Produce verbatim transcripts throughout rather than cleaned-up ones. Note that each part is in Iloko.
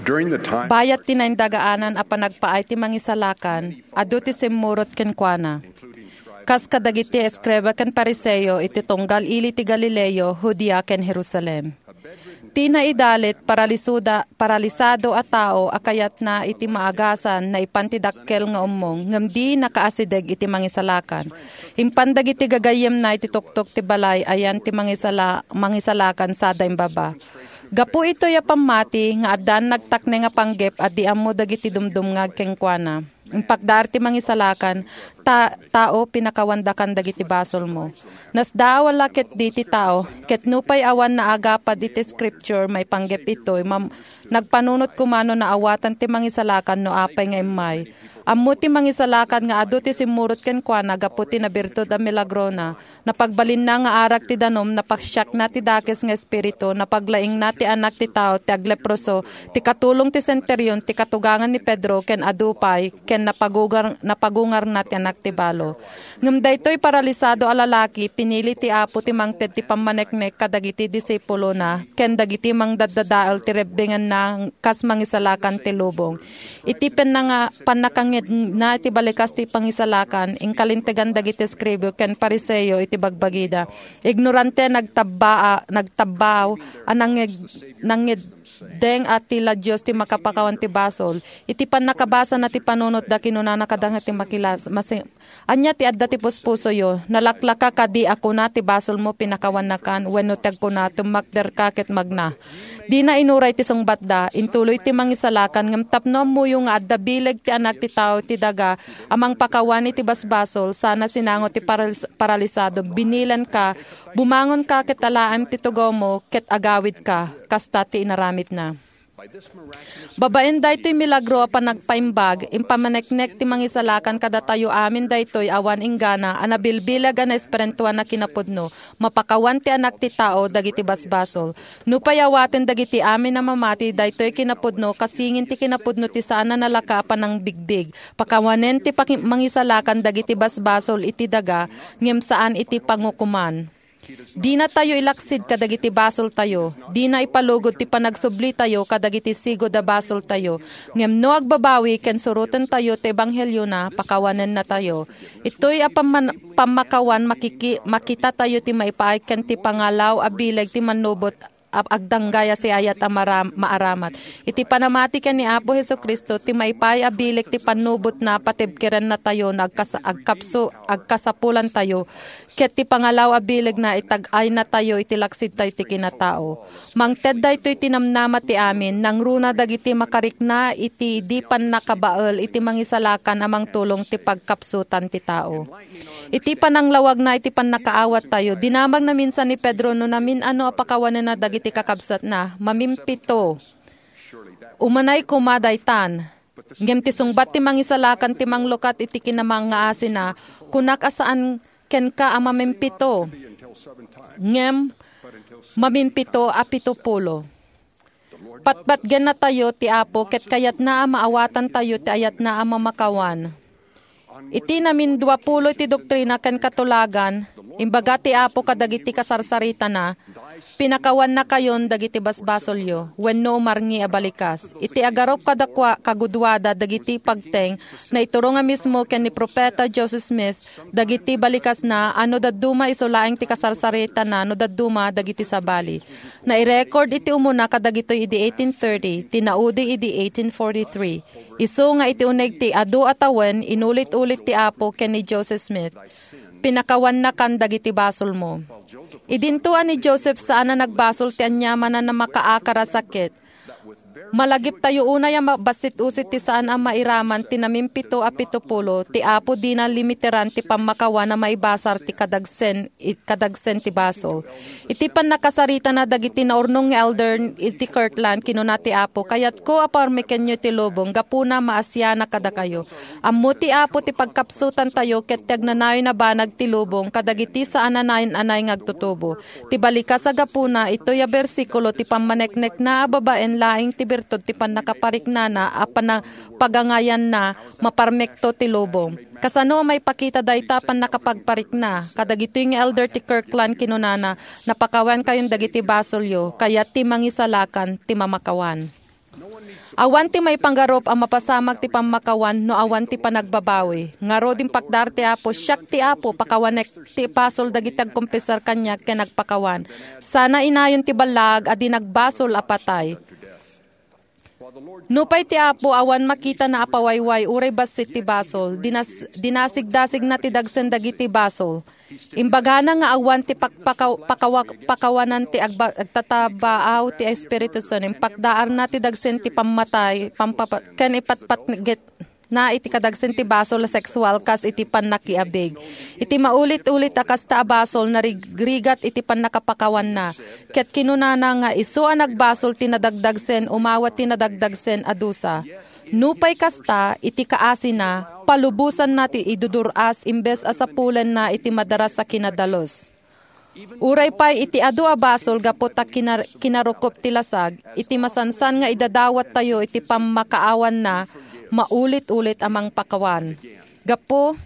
During the time Bayat ti naindagaanan a panagpaay ti Mangisalakan, adu ti simmurot kenkuana. Kas kadagiti eskreba ken Fariseo iti tunggal ili ti Galileo, Judea, ken Jerusalem. Ti naidalit, paralisuda-, paralisado a tao a kayatna iti maagasan, naipan ti dakkel nga ummong, ngem di nakaasideg iti Mangisalakan. Impan dagiti gagayyemna iti tuktok ti balay, ayan ti Mangisala-, Mangisalakan sada imbaba. Gapu itoy a pammati nga addan nagtakne nga panggep a di ammo dagiti dumdumngag kenkuana. Impakdaar ti Mangisalakan, ta-, tao, pinakawandakan dagiti basolmo. Nasdaaw a la ketdi ti tao, ket nupay awan naagapad iti Scripture maipanggep itoy, mam-, nagpanunot koma no naawatan ti Mangisalakan no apay nga immay. Ammo ti Mangisalakan nga adu ti simmurot kenkuana gapu ti nabirtud a milagrona. Napagbalinna nga arag ti danum, napasiakna ti dakes nga espiritu, napaglaingna ti anak ti tao ti agleproso, ti katulong ti senterion, ti katugangan ni Pedro, ken adu pay, ken napagugar-, napagungarna ti anak ti balo. Ngem daytoy paralisado a lalaki, pinili ti Apo ti mangted ti pammaneknek kadagiti disipulona, ken dagiti mangdaddadael ti rebbengenna kas mangisalakan ti lubong. Iti pannanga-, pannakangngegna iti balikas ti Pangisalakan, inkalintegan dagiti eskribao ken Fariseo iti bagbagida. Ignorante a nagtabbaa-, nagtabbaaw a nangngeg-, nangngeddeng a ti la Dios ti makapakawan ti basol. Iti pannakabasana ti panunotda, kinunana kadagiti makilas-, masi-, Ania ti adda ti puspusoyo? Nalaklaka kadi a kuna ti basolmo, pinakawannakan, wenno ti agkuna, tummakderka ket magna? Dina inuray ti sungbatda. Intuloy ti Mangisalakan, ngem tapno ammoyo nga adda bileg ti Anak ti Tao iti daga a mangpakawan iti basbasol, sana sinango ti paralis-, paralisado, "Binilenka, bumangonka ket alaem ti tugawmo ket agawidka." Kasta ti inaramidna. Babaen daytoy milagro a panagpaimbag, impamaneknek ti Mangisalakan kadatayo amin daytoy awan inggana a nabilbileg a naespirituan a kinapudno, mapakawan ti Anak ti Tao dagiti basbasol. Nupay awaten dagiti amin a mamati daytoy kinapudno, kasingin ti kinapudno ti saan a nalaka a panangbigbig, pakawanen ti paki-, Mangisalakan dagiti basbasol iti daga, ngem saan iti pangukoman. Dinatayo ilaksid kadagiti basoltayo. Dina ipalugod ti panagsublitayo kadagiti sigud a basoltayo. Ngem no agbabawi ken surotentayo ti ebanghelio na, pakawanennatayo. Itoy a pamman-, pammakawan makiki-, makitatayo ti maipaay ken ti pangalaw a bileg ti mannubot a agdanggay a siayat a maram-, maaramat. Iti panamati ken ni Apo Jesu-Cristo, ti maipaay a bileg ti pannubotna, patibkerennatayo no agkas-, agkapso-, agkasapulantayo, ket ti pangalaw a bilegna, itag-aynatayo iti laksidtayo ti kinatao. Mangted daytoy ti namnama ti amin, nangruna dagiti makarikna iti di pannakabael iti Mangisalakan a mangtulong ti pagkapsutan ti tao. Iti pananglawagna iti pannakaawattayo, dinamagna minsan ni Pedro no namin-ano a pakawanenna dagiti kakabsatna. Mamimpito. Umanay koma daytan. Ngem ti sungbat ti Mangisalakan ti manglukat iti kinamangngaasina, kunak a saan kenka a mamimpito. Ngem mamimpito a pitopulo. Patpatgennatayo ti Apo ket kayatna a maawatantayo ti ayatna a mamakawan. Iti namin duapulo iti doktrina ken katulagan, imbaga ti Apo kadagiti kasarsaritana, "Pinakawannakayon dagiti basbasolyo, wenno umarngi a balikas." Iti agarup kadakuada, kagudoada dagiti pagteng, naiturong a mismo ken ni Profeta Joseph Smith, dagiti balikasna a no dadduma isu laeng ti kasarsaritana no dadduma dagiti sabali. Nairecord iti umuna kadagitoy idi eighteen thirty, tinaudi idi eighteen forty-three. Isu nga iti uneg ti adu a tawen, inulit-ulit ti Apo ken ni Joseph Smith, "Pinakawannakan dagiti basolmo." Idinto a ni Joseph saan a nagbasol ti aniamanna a makaakar a sakit. Malagiptayo unay a mabassit-usit ti saan a mairaman ti namimpito a pitopulo, ti Apo dina limiteran ti pammakawan a maibasar ti kadagsen, i-, kadagsen ti basol. Iti pannakasaritana dagiti naurnong nga elder iti Kirtland, kinuna ti Apo, "Kayatko a parmekenyo ti lubong, gapuna maasianak kadakayo." Ammo ti Apo ti pagkapsutantayo ket ti agnanayon a banag ti lubong kadagiti saan a nayan-anay nga agtutubo. Ti balikas a gapuna, itoy a bersikulo ti pammaneknekna a babaen laeng ti birtud ti pannakapariknana a pana-, pagangayanna, maparmekto ti lubong. Kasano a maipakita dayta a pannakapagparikna? Kadagitoy nga elder ti Kirtland kinunana, "Napakawankayon dagiti basolyo, kayat ti Mangisalakan ti mamakawan." Awan ti maipanggarup a mapasamak ti pammakawan no awan ti panagbabawi. Ngarud, impakdaar ti Apo, "Siak ti Apo, pakawanek ti basol dagiti agkonfesar kaniak ken agpakawan. Sana inayon ti ballaag a di nagbasol a patay." Nupay ti Apo awan makitana a pawayway uray bassit ti basol, dinas-, dinasigdasigna ti dagsen dagiti basol. Imbagana nga awan ti pak-, pakaw-, pakawa-, pakawanan ti agba-, agtatabaaw ti Espiritu Santo. Impakdaarna ti dagsen ti pammatay, pampapa-, ken ipatpatget na iti kadagsen ti basol a sexual kas iti pannakiabig. Iti maulit-ulit a kasta a basol, narigrigat iti pannakapakawanna. Ket kinunana nga isu a nagbasol ti nadagdagsen, umawat ti nadagdagsen a dusa. Nupay kasta, iti kaasina, palubosanna ti idudur-as imbes a sapulenna iti madaras a kinadalus. Uray pay iti adu a basol gapu ta kinar-, kinarukop ti lasag, iti masansan nga idadawattayo iti pammakaawanna, maulit-ulit a mangpakawan. Gapu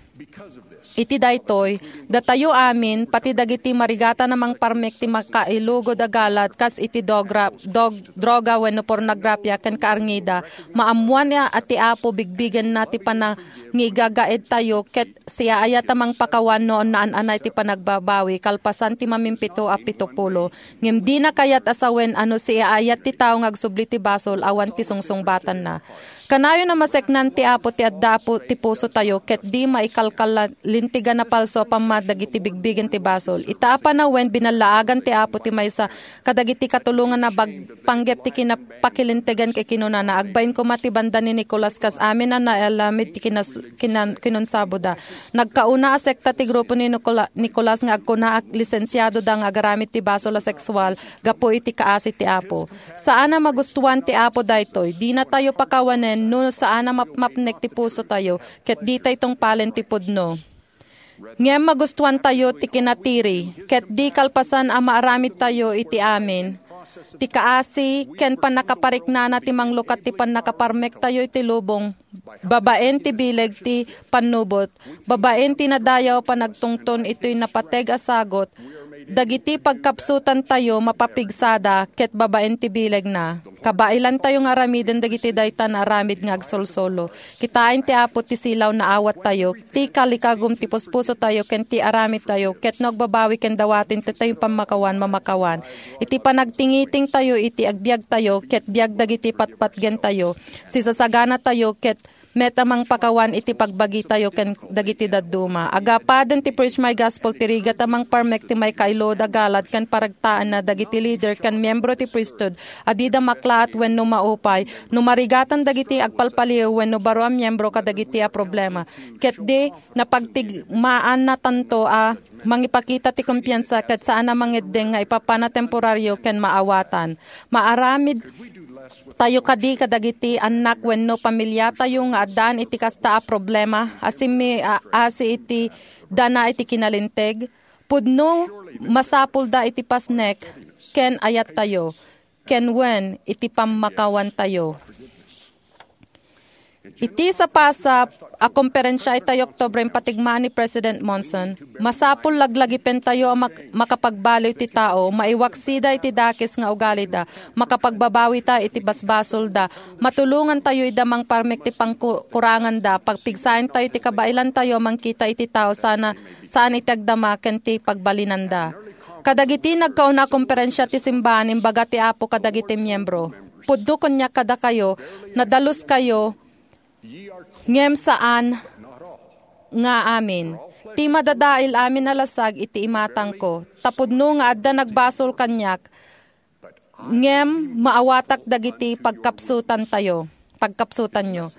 iti daytoy, datayo amin, pati dagiti marigatan a mangparmek ti makailugod a galat kas iti dogra-, dog-, droga wenno pornografia ken kaarngida, maammoan a ti Apo bigbigenna ti panangigagaedtayo ket siaayat a mangpakawan no naan-anay ti panagbabawi kalpasan ti mamimpito a pitopulo. Ngem dina kayat a sawen a no siaayat ti tao nga agsubli ti basol, awan ti sungsungbatanna. Kanayon a maseknan ti Apo ti adda a pu-, ti pusotayo ket di maikalkalintegan a palso a pammat dagiti bigbigen ti basol. Ita a panawen, binallaagan ti Apo ti maysa kadagiti katulonganna bag-, panggep ti kinapakilintegan ket kinunana, "Agbain koma ti banda ni Nicolas kas amin a naaramid ti kinas-, kinan-, kinunsaboda." Nagkauna a sekta ti grupo ni Nicola-, Nicolas nga agkuna a lisensiadoda nga agaramid ti basol a sexual gapu iti kaasi ti Apo. Saan a magustuan ti Apo daytoy. Dinatayo pakawanen no saan a mapmapnek ti pusotayo ket ditay tungpalen ti pudno. Ngem magustuantayo ti kinatiri, ket di kalpasan a maaramidtayo iti amin ti kaasi ken pannakapariknana ti manglukat ti pannakaparmektayo iti lubong, babaen ti bileg ti pannubot, babaen ti nadayaw a panagtungton iti napateg a sagut, dagiti pagkapsutantayo mapapigsada ket babaen ti bilegna. Kabailantayo nga aramiden dagiti dayta nga aramid nga agsolsolo. Kitaen ti Apo ti silaw nga awattayo, ti kalikagum ti puspusotayo ken ti aramidtayo, ket no agbabawi ken dawaten ti tayo pammakawan, mamakawan. Iti panagtingitingtayo iti agbiagtayo ket biag dagiti patpatgentayo, sisasaganatayo ket met a mangpakawan iti pagbagitayo ken dagiti dadduma. Agapaden ti Preach My Gospel ti rigat a mangparmek ti maikailud a galat ken paragtaenna dagiti leader ken miembro ti priesthood a dida maklaat wenno maupay. No marigatan dagiti agpalpaliw wenno baro a miembro kadagiti a problema, ket di napagtigmaannatanto a mangipakita ti kumpiansa ket saan a mangeddeng nga ipapana temporario ken maawatan. Maaramid tayo kadi kadagiti annak wenno pamiliatayo nga addaan iti kasta a problema a simmi-, a-, asi iti dana iti kinalinteg? Pudno, masapulda iti pasnek ken ayattayo, ken wen iti pammakawantayo. Iti sapasap a komperensia iti Oktubre, impatigmaan ni President Monson, masapul laglagipentayo a mak-, makapagbaliw ti tao, maiwaksida iti dakes nga ugalida, makapagbabawita iti basbasolda, matulongantayo ida mangparmek ti pangku-, kuranganda, pagpigsaentayo ti kabailantayo a mangkita iti tao sana, saan iti agdama ken ti pagbalinanda. Kadagiti nagkauna a komperensia ti simbahan, imbaga ti Apo kadagiti miembro, "Pudno kaniak kadakayo, nadaluskayo, ngem saan nga amin. Ti madadael amin a lasag iti imatangko. Ta pudno nga adda nagbasol kaniak, ngem maawatak dagiti pagkapsutantayo, pagkapsutanyo."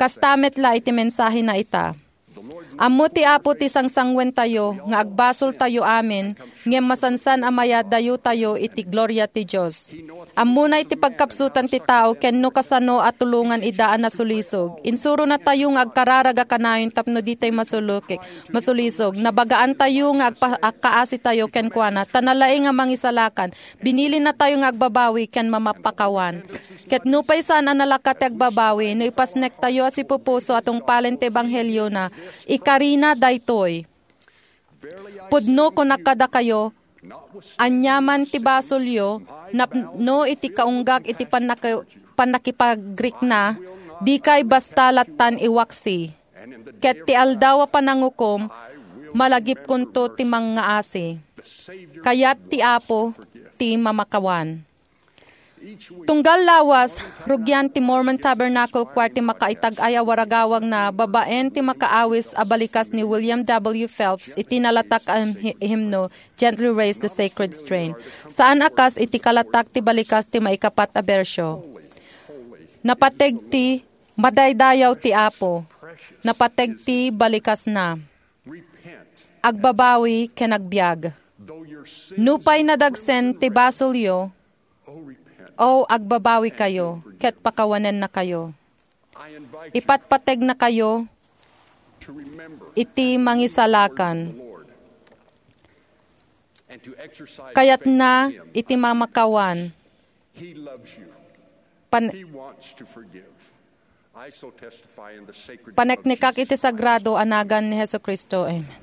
Kasta met la iti mensahena ita. Ammo ti Apo ti sangsangwentayo nga agbasoltayo amin, ngem masansan a mayadayotayo iti gloria ti Dios. Ammona iti pagkapsutan ti tao ken no kasano a tulongan ida a nasulisog. Insuronatayo nga agkararag a kanayon tapno ditay masulukik, masulisog. Nabagaantayo nga agpa-, agkaasitayo kenkuana, ta nalaing a mangisalakan. Binilinatayo nga agbabawi ken mamapakawan. Ket nupay saan a nalaka ti agbabawi, no ipasnektayo a sipupuso a tungpalen ti ebangheliona, ikarina daytoy. Pudno kunak kadakayo, aniaman ti basolyo, napno iti kaunggak iti pannaka-, pannakipagrikna, dikay basta lattan iwaksi. Ket ti aldaw a panangukom, malagipkonto ti mangngaasi. Kayat ti Apo ti mamakawan. Tunggal lawas, rugian ti Mormon Tabernacle Choir ti makaitag-ay a waragawagna babaen ti makaawis a balikas ni William W. Phelps iti nalatak a him-, himno, Gently Raise the Sacred Strain. Saan a kas iti kalatak ti balikas ti maikapat a bersio. Napateg ti madaydayaw ti Apo. Napateg ti balikasna. Agbabawi ken agbiag. Nupay nadagsen ti basolyo, O, agbabawi kayo, ket pakawanennakayo. Ipatpategnakayo iti mangisalakan. Kayatna iti mamakawan. Pan-, paneknekak iti sagrado a nagan ni Jesu-Cristo. Amen.